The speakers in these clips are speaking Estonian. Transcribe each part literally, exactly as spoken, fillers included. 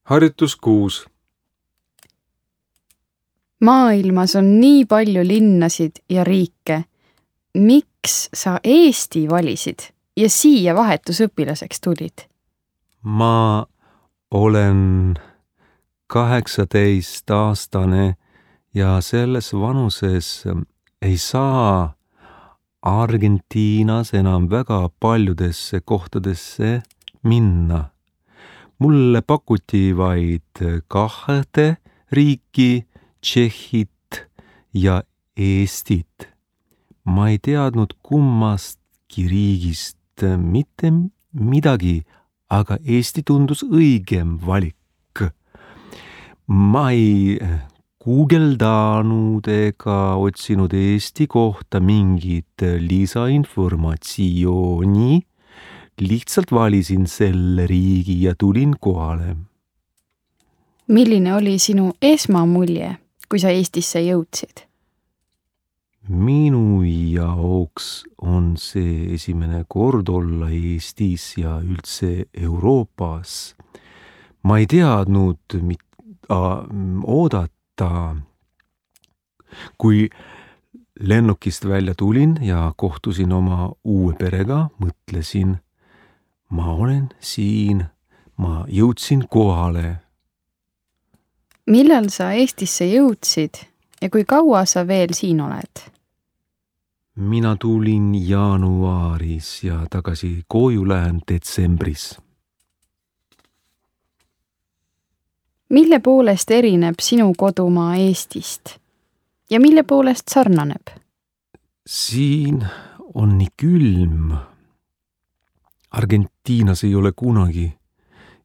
Harjutus kuus. Maailmas on nii palju linnasid ja riike. Miks sa Eesti valisid ja siia vahetusõpilaseks tulid? Ma olen kaheksateist aastane ja selles vanuses ei saa Argentiinas enam väga paljudesse kohtadesse minna. Mulle pakuti vaid kahte riiki, Tšehhit ja Eestit. Ma ei teadnud kummastki riigist mitte midagi, aga Eesti tundus õigem valik. Ma ei guugeldanud ega otsinud Eesti kohta mingit lisainformatsiooni. Lihtsalt valisin selle riigi ja tulin kohale. Milline oli sinu esmamulje, kui sa Eestisse jõudsid? Minu jaoks on see esimene kord olla Eestis ja üldse Euroopas. Ma ei teadnud, mida oodata. Kui lennukist välja tulin ja kohtusin oma uue perega, mõtlesin, ma olen siin, ma jõudsin kohale. Millal sa Eestisse jõudsid ja kui kaua sa veel siin oled? Mina tulin jaanuaris ja tagasi koju lähen detsembris. Mille poolest erineb sinu kodumaa Eestist ja mille poolest sarnaneb? Siin on nii külm. Argentiinas ei ole kunagi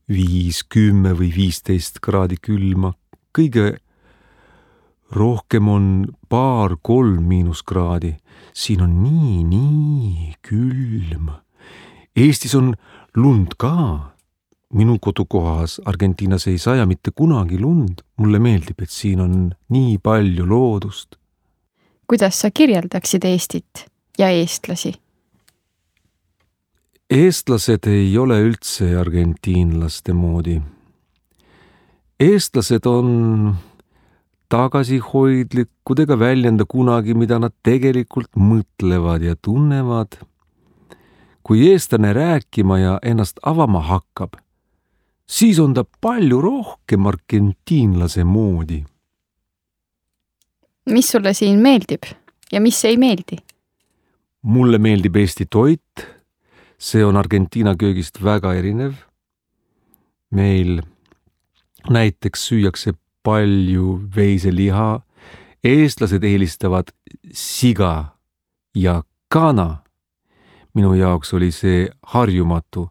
viis, kümme või viisteist kraadi külma. Kõige rohkem on paar kolm miinuskraadi. Siin on nii, nii külm. Eestis on lund ka. Minu kodukohas Argentiinas ei saja mitte kunagi lund. Mulle meeldib, et siin on nii palju loodust. Kuidas sa kirjeldaksid Eestit ja eestlasi? Eestlased ei ole üldse argentiinlaste moodi. Eestlased on tagasihoidlikud ega väljenda kunagi, mida nad tegelikult mõtlevad ja tunnevad. Kui eestlane rääkima ja ennast avama hakkab, siis on ta palju rohkem argentiinlase moodi. Mis sulle siin meeldib ja mis ei meeldi? Mulle meeldib Eesti toit. See on Argentiina köögist väga erinev. Meil näiteks süüakse palju veiseliha. Eestlased eelistavad siga ja kana. Minu jaoks oli see harjumatu.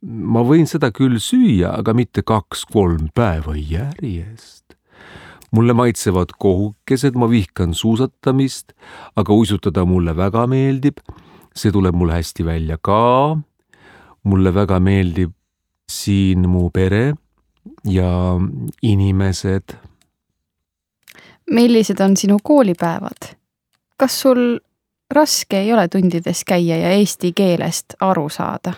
Ma võin seda küll süüa, aga mitte kaks-kolm päeva järjest. Mulle maitsevad kohukesed, ma vihkan suusatamist, aga uisutada mulle väga meeldib. See tuleb mulle hästi välja ka. Mulle väga meeldib siin mu pere ja inimesed. Millised on sinu koolipäevad? Kas sul raske ei ole tundides käia ja eesti keelest aru saada?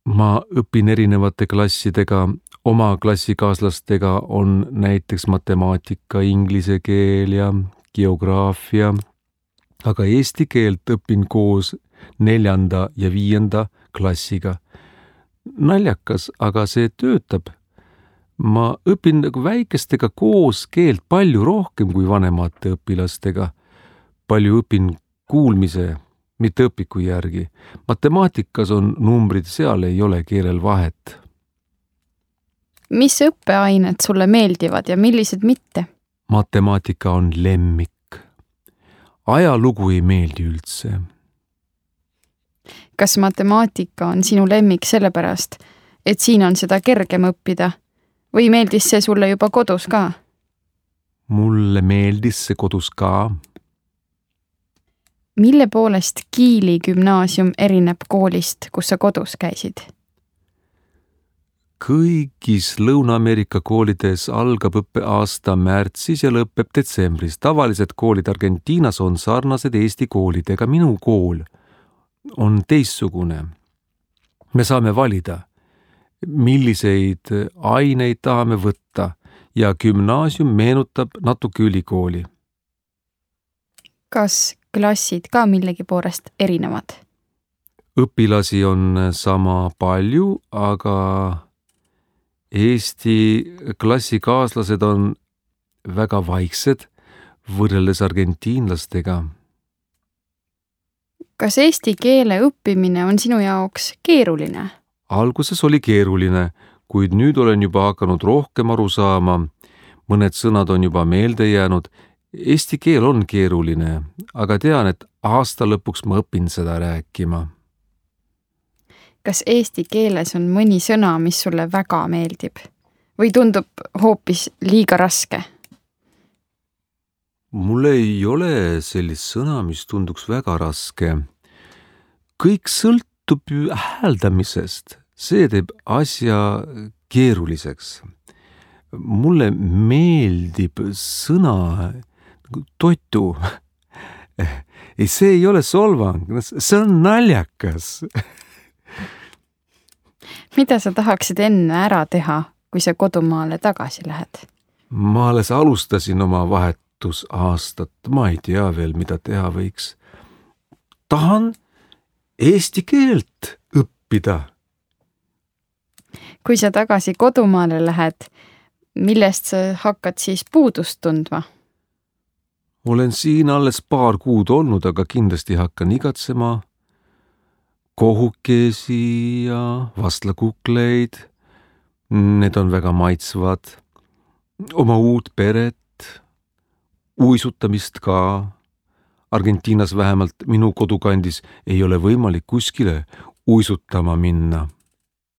Ma õpin erinevate klassidega. Oma klassikaaslastega on näiteks matemaatika, inglise keel ja geograafia. Aga eesti keelt õpin koos neljanda ja viienda klassiga. Naljakas, aga see töötab. Ma õpin väikestega koos keelt palju rohkem kui vanemate õpilastega. Palju õpin kuulmise, mitte õpiku järgi. Matemaatikas on numbrid, seal ei ole keelel vahet. Mis õppeained sulle meeldivad ja millised mitte? Matemaatika on lemmik. Ajalugu ei meeldi üldse. Kas matemaatika on sinu lemmik sellepärast, et siin on seda kergem õppida? Või meeldis see sulle juba kodus ka? Mulle meeldis see kodus ka. Mille poolest Kiili gümnaasium erineb koolist, kus sa kodus käisid? Kõigis Lõuna-Ameerika koolides algab õppeaasta märtsis ja lõpeb detsembris. Tavalised koolid Argentiinas on sarnased Eesti koolidega. Minu kool on teistsugune. Me saame valida. milliseid aineid tahame võtta ja gümnaasium meenutab natuke ülikooli. Kas klassid ka millegi poolest erinevad? Õpilasi on sama palju, aga Eesti klassikaaslased on väga vaiksed võrreldes argentiinlastega. Kas eesti keele õppimine on sinu jaoks keeruline? Alguses oli keeruline, kuid nüüd olen juba hakanud rohkem aru saama. Mõned sõnad on juba meelde jäänud. Eesti keel on keeruline, aga tean, et aasta lõpuks ma õpin seda rääkima. Kas eesti keeles on mõni sõna, mis sulle väga meeldib? Või tundub hoopis liiga raske? Mul ei ole sellist sõna, mis tunduks väga raske. Kõik sõltub ju hääldamisest. See teeb asja keeruliseks. Mulle meeldib sõna totu. Ei, see ei ole solvang, see on naljakas. Mida sa tahaksid enne ära teha, kui sa kodumaale tagasi lähed? Ma alles alustasin oma vahetusaastat. Ma ei tea veel, mida teha võiks. Tahan eesti keelt õppida. Kui sa tagasi kodumaale lähed, millest sa hakkad siis puudust tundma? Olen siin alles paar kuud olnud, aga kindlasti hakkan igatsema kohukesi ja vastlakukleid. Need on väga maitsvad. Oma uut peret, uisutamist ka. Argentiinas vähemalt minu kodukandis ei ole võimalik kuskile uisutama minna.